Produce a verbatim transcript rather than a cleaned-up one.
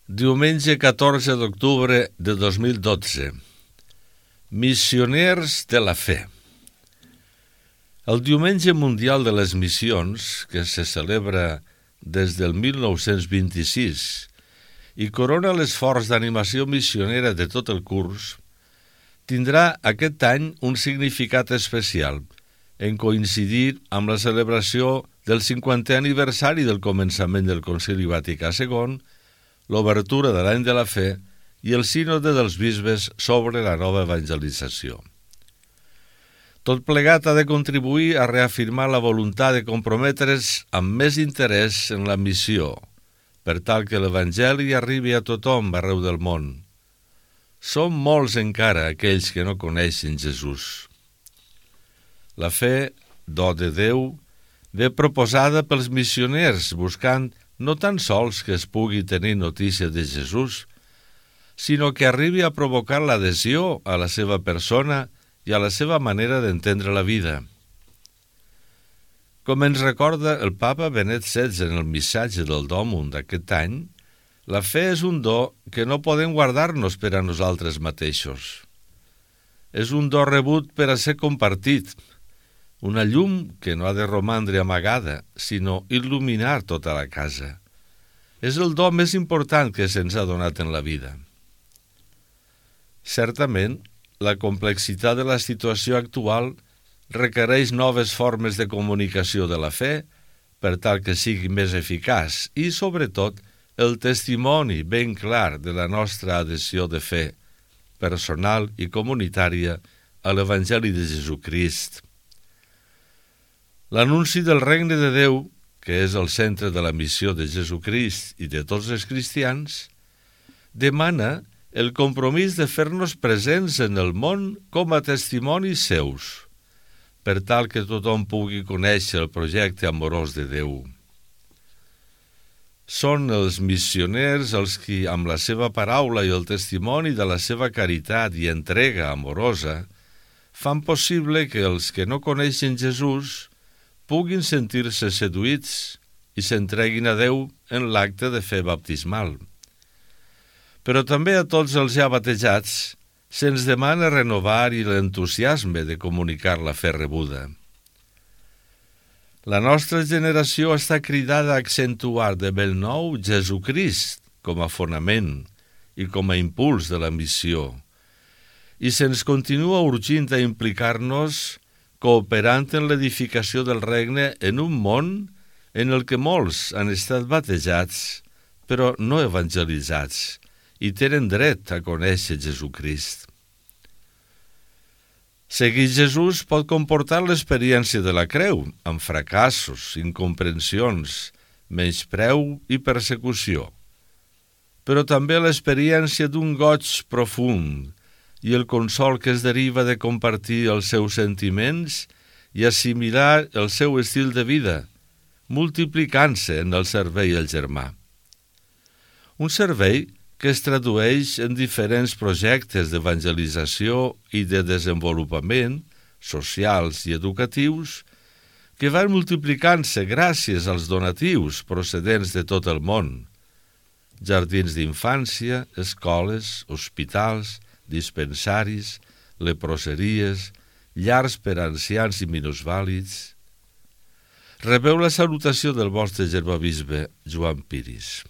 Diumenge catorze d'octubre de dos mil dotze. Missioners de la fe. El Diumenge Mundial de les Missions, que se celebra des del mil nou-cents vint-i-sis i corona l'esforç d'animació missionera de tot el curs, tindrà aquest any un significat especial en coincidir amb la celebració del cinquantè aniversari del començament del Concili Vaticà segon, l'obertura de l'any de la fe i el sínode dels bisbes sobre la nova evangelització. Tot plegat ha de contribuir a reafirmar la voluntat de comprometre's amb més interès en la missió, per tal que l'Evangeli arribi a tothom arreu del món. Som molts encara aquells que no coneixen Jesús. La fe, do de Déu, ve proposada pels missioners buscant no tan sols que es pugui tenir notícia de Jesús, sinó que arribi a provocar l'adhesió a la seva persona i a la seva manera d'entendre la vida. Com ens recorda el papa Benet setze en el missatge del Domum d'aquest any, la fe és un do que no podem guardar-nos per a nosaltres mateixos. És un do rebut per a ser compartit, una llum que no ha de romandre amagada, sinó il·luminar tota la casa. És el do més important que se'ns ha donat en la vida. Certament, la complexitat de la situació actual requereix noves formes de comunicació de la fe per tal que sigui més eficaç i, sobretot, el testimoni ben clar de la nostra adhesió de fe, personal i comunitària, a l'Evangeli de Jesucrist. L'anunci del regne de Déu, que és el centre de la missió de Jesucrist i de tots els cristians, demana el compromís de fer-nos presents en el món com a testimonis seus, per tal que tothom pugui conèixer el projecte amorós de Déu. Són els missioners els qui, amb la seva paraula i el testimoni de la seva caritat i entrega amorosa, fan possible que els que no coneixen Jesús puguin sentir-se seduïts i s'entreguin a Déu en l'acte de fe baptismal. Però també a tots els ja batejats se'ns demana renovar i l'entusiasme de comunicar la fe rebuda. La nostra generació està cridada a accentuar de bell nou Jesucrist com a fonament i com a impuls de la missió, i se'ns continua urgint a implicar-nos cooperant en l'edificació del regne en un món en el que molts han estat batejats, però no evangelitzats, i tenen dret a conèixer Jesucrist. Seguir Jesús pot comportar l'experiència de la creu, amb fracassos, incomprensions, menyspreu i persecució, però també l'experiència d'un goig profund i el consol que es deriva de compartir els seus sentiments i assimilar el seu estil de vida, multiplicant-se en el servei al germà. Un servei que es tradueix en diferents projectes d'evangelització i de desenvolupament socials i educatius que van multiplicant-se gràcies als donatius procedents de tot el món. Jardins d'infància, escoles, hospitals, dispensaris, leproseries, llars per a ancians i minusvàlids. Rebeu la salutació del vostre germabisbe Joan Piris.